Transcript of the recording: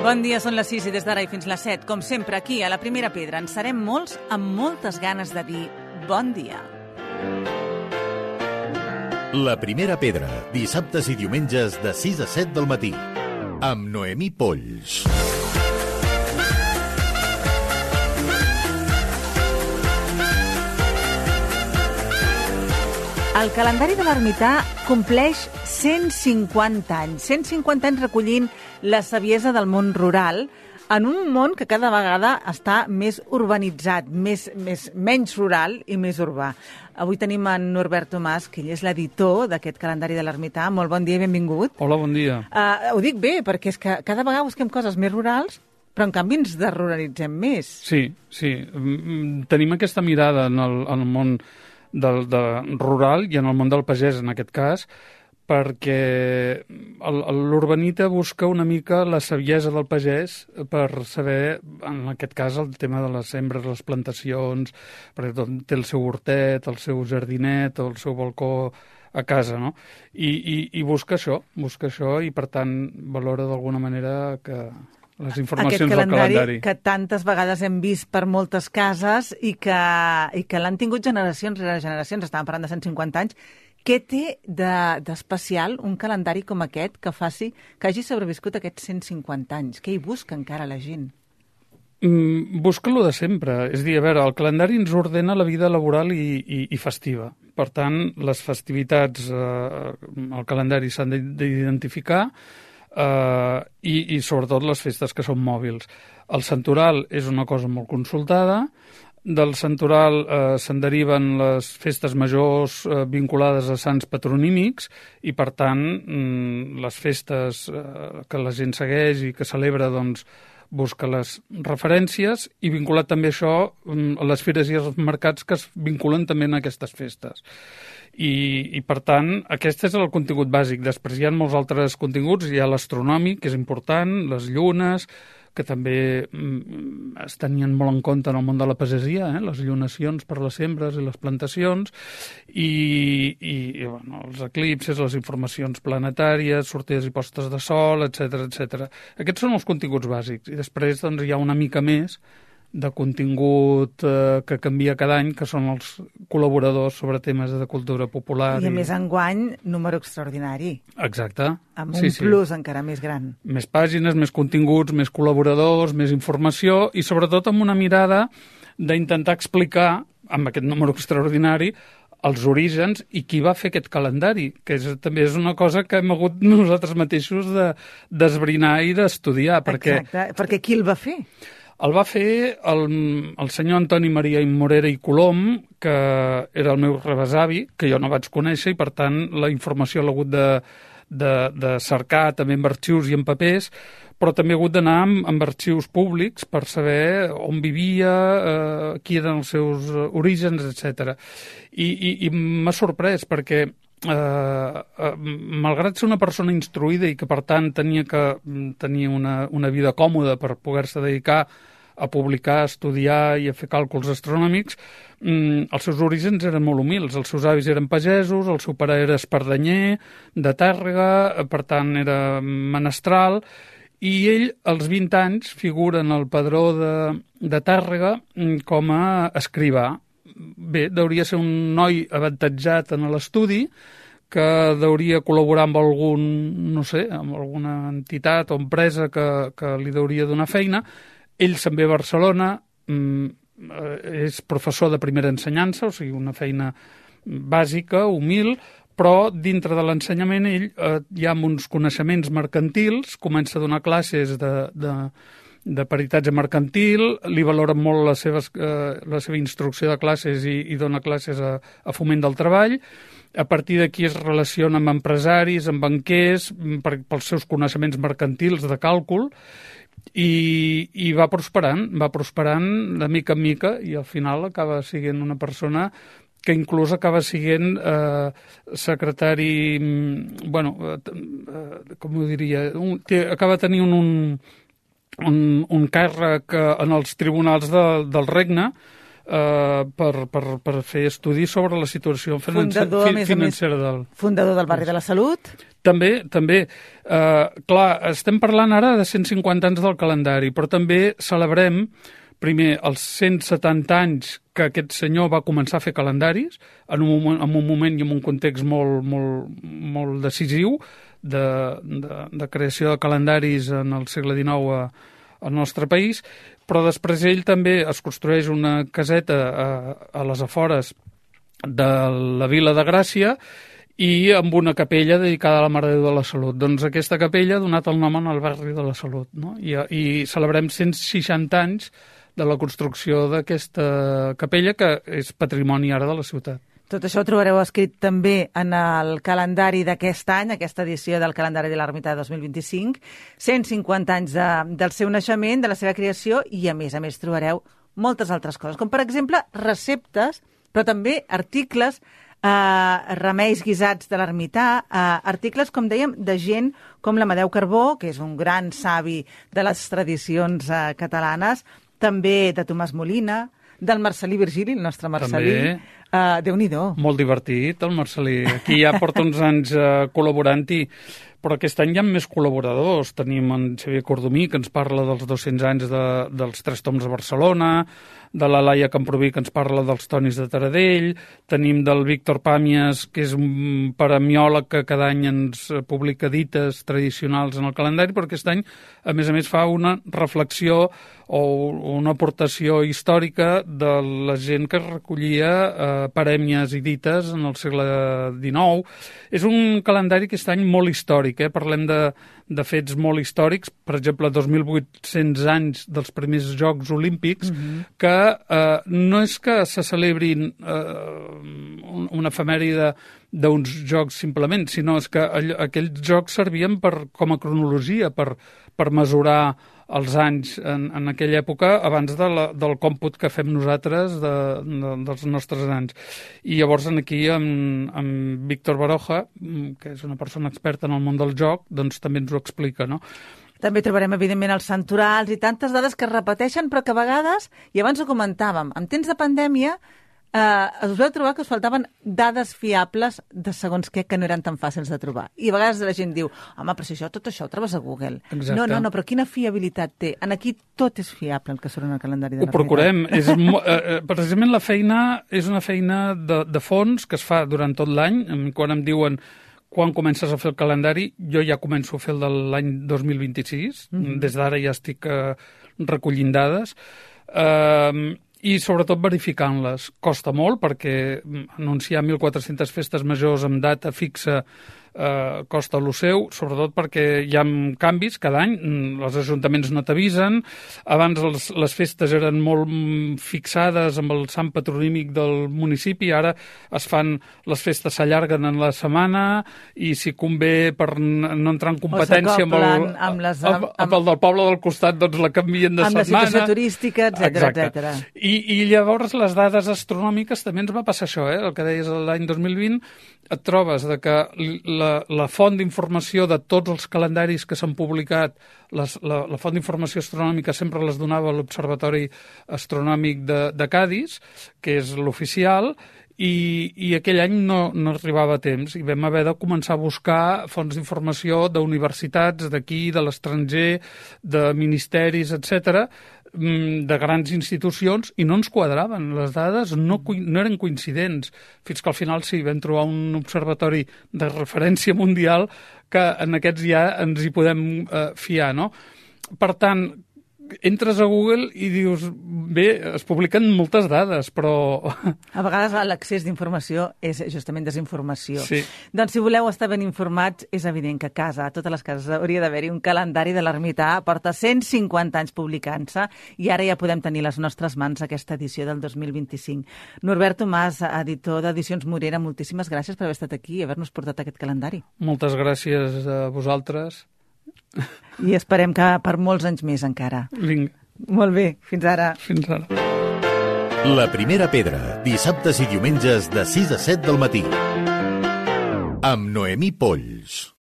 Bon dia, són les 6 i des d'ara i fins les 7. Com sempre, aquí, a la Primera Pedra, en serem molts amb moltes ganes de dir bon dia. La Primera Pedra, dissabtes i diumenges de 6 a 7 del matí, amb Noemí Polls. El calendari de l'ermità compleix 150 anys. 150 anys recollint la saviesa del món rural en un món que cada vegada està més urbanitzat, menys rural i més urbà. Avui tenim en Norbert Tomàs, que ell és l'editor d'aquest calendari de l'ermità. Molt bon dia i benvingut. Hola, bon dia. Ho dic bé, perquè és que cada vegada busquem coses més rurals, però en canvi ens desruralitzem més. Sí. Tenim aquesta mirada en el món del rural i en el món del pagès, en aquest cas, perquè l'urbanita busca una mica la saviesa del pagès per saber, en aquest cas, el tema de les sembres, les plantacions, perquè té el seu hortet, el seu jardinet, el seu balcó a casa, no? I busca això i, per tant, valora d'alguna manera que les informacions del calendari que tantes vegades hem vist per moltes cases i que l'han tingut generacions rere generacions, estàvem parlant de 150 anys. Què té d'especial un calendari com aquest que hagi sobreviscut aquests 150 anys? Què hi busca encara la gent? Busca lo de sempre. És a dir, a veure, el calendari ens ordena la vida laboral i festiva. Per tant, les festivitats al calendari s'han d'identificar i sobretot les festes que són mòbils. El santoral és una cosa molt consultada. Del santoral se'n deriven les festes majors vinculades a sants patronímics i, per tant, les festes que la gent segueix i que celebra, doncs, busca les referències i vinculat també això a les fires i els mercats que es vinculen també en aquestes festes. I per tant, aquest és el contingut bàsic. Després hi ha molts altres continguts. Hi ha l'astronòmic, que és important, les llunes, que també es tenien molt en compte en el món de la pagesia, les llunacions per les sembres i les plantacions, i bueno, els eclipses, les informacions planetàries, sortides i postes de sol, etc. Aquests són els continguts bàsics. I després doncs, hi ha una mica més de contingut que canvia cada any, que són els col·laboradors sobre temes de cultura popular. I a més enguany, número extraordinari. Exacte. Amb un plus encara més gran. Més pàgines, més continguts, més col·laboradors, més informació i sobretot amb una mirada d'intentar explicar, amb aquest número extraordinari, els orígens i qui va fer aquest calendari, que també és una cosa que hem hagut nosaltres mateixos d'esbrinar i d'estudiar. Exacte, perquè qui el va fer? El va fer el senyor Antoni Maria Immorera i Colom, que era el meu rebesavi, que jo no vaig conèixer, i per tant la informació l'he hagut de cercar també en arxius i en papers, però també he hagut d'anar amb arxius públics per saber on vivia, qui eren els seus orígens, etc. I m'ha sorprès perquè malgrat ser una persona instruïda i que per tant tenia que tenir una vida còmoda per poder-se dedicar a publicar, a estudiar i a fer càlculs astronòmics, els seus orígens eren molt humils. Els seus avis eren pagesos, el seu pare era espardenyer, de Tàrrega, per tant era menestral, i ell, als 20 anys, figura en el padró de Tàrrega com a escrivà. Bé, deuria ser un noi avantatjat en l'estudi, que deuria col·laborar amb amb alguna entitat o empresa que li deuria donar feina. Ell se'n ve a Barcelona, és professor de primera ensenyança, o sigui, una feina bàsica, humil, però dintre de l'ensenyament ell ja amb uns coneixements mercantils comença a donar classes de peritatge mercantil, li valora molt la seva instrucció de classes i dona classes a foment del treball. A partir d'aquí es relaciona amb empresaris, amb banquers, pels seus coneixements mercantils de càlcul, i va prosperant de mica en mica, i al final acaba sent una persona que inclús acaba sent secretari, com ho diria, acaba tenint un càrrec en els tribunals del regne, per fer estudis sobre la situació financera del... Fundador del Barri de la Salut. També. Clar, estem parlant ara de 150 anys del calendari, però també celebrem primer els 170 anys que aquest senyor va començar a fer calendaris en un moment i en un context molt decisiu de creació de calendaris en el segle XIX al nostre país, però després ell també es construeix una caseta a les afores de la Vila de Gràcia i amb una capella dedicada a la Mare de Déu de la Salut. Doncs aquesta capella ha donat el nom al Barri de la Salut, no? I celebrem 160 anys de la construcció d'aquesta capella, que és patrimoni ara de la ciutat. Tot això ho trobareu escrit també en el calendari d'aquest any, aquesta edició del calendari de l'Ermità 2025, 150 anys del seu naixement, de la seva creació, i a més trobareu moltes altres coses, com per exemple receptes, però també articles, remeis guisats de l'ermità, articles, com dèiem, de gent com l'Amadeu Carbó, que és un gran savi de les tradicions catalanes, també de Tomàs Molina, del Marcel·lí Virgili, el nostre Marcel·lí. Déu-n'hi-do. Molt divertit, el Marcel·lí. Aquí ja porta uns anys col·laborant-hi, però aquest any hi ha més col·laboradors. Tenim en Xavier Cordomí, que ens parla dels 200 anys dels Tres Toms de Barcelona, de la Laia Camproví, que ens parla dels Tonis de Taradell, tenim del Víctor Pàmies, que és un paramiòleg que cada any ens publica dites tradicionals en el calendari, però aquest any, a més, fa una reflexió o una aportació històrica de la gent que recollia parèmies i dites en el segle XIX. És un calendari aquest any molt històric, parlem de fets molt històrics, per exemple, 2.800 anys dels primers Jocs Olímpics, que no és que se celebrin una efemèride d'uns jocs simplement, sinó és que aquells jocs servien com a cronologia, per mesurar els anys en aquella època abans del còmput que fem nosaltres dels nostres anys. I llavors aquí amb Víctor Baroja, que és una persona experta en el món del joc, doncs també ens ho explica, no? També trobarem, evidentment, els santorals i tantes dades que es repeteixen, però que a vegades, i abans ho comentàvem, en temps de pandèmia, us vau trobar que us faltaven dades fiables de segons què, que no eren tan fàcils de trobar. I a vegades la gent diu, home, però si tot això ho trobes a Google. Exacte. No, però quina fiabilitat té? En aquí tot és fiable, el que surt en el calendari de la Ho procurem. Precisament la feina és una feina de fons que es fa durant tot l'any. Quan em diuen quan comences a fer el calendari, jo ja començo a fer el de l'any 2026. Des d'ara ja estic recollint dades. I sobretot verificant-les. Costa molt perquè anunciar 1.400 festes majors amb data fixa costa lo seu, sobretot perquè hi ha canvis cada any, els ajuntaments no t'avisen, abans les festes eren molt fixades amb el sant patronímic del municipi, ara es fan, les festes s'allarguen en la setmana i si convé per no entrar en competència amb el del poble del costat, doncs la canvien de setmana. Amb la situació turística, etcètera. I llavors les dades astronòmiques també ens va passar això, el que deies l'any 2020, et trobes que la font d'informació de tots els calendaris que s'han publicat, la font d'informació astronòmica sempre les donava l'Observatori Astronòmic de Cadis, que és l'oficial, i aquell any no arribava a temps i vam haver de començar a buscar fonts d'informació d'universitats d'aquí, de l'estranger, de ministeris, etcètera, de grans institucions, i no ens quadraven. Les dades no eren coincidents, fins que al final sí, vam trobar un observatori de referència mundial que en aquests ja ens hi podem fiar, no? Per tant, entres a Google i dius, bé, es publiquen moltes dades, però... A vegades l'accés d'informació és justament desinformació. Sí. Doncs si voleu estar ben informats, és evident que a casa, a totes les cases, hauria d'haver-hi un calendari de l'Ermità, porta 150 anys publicant-se, i ara ja podem tenir les nostres mans aquesta edició del 2025. Norbert Tomàs, editor d'Edicions Morera, moltíssimes gràcies per haver estat aquí i haver-nos portat aquest calendari. Moltes gràcies a vosaltres. I esperem que per molts anys més encara. Vinga. Molt bé, fins ara. Fins ara. La primera pedra, dissabtes i diumenges de 6 a 7 del matí. Amb Noemí Polls.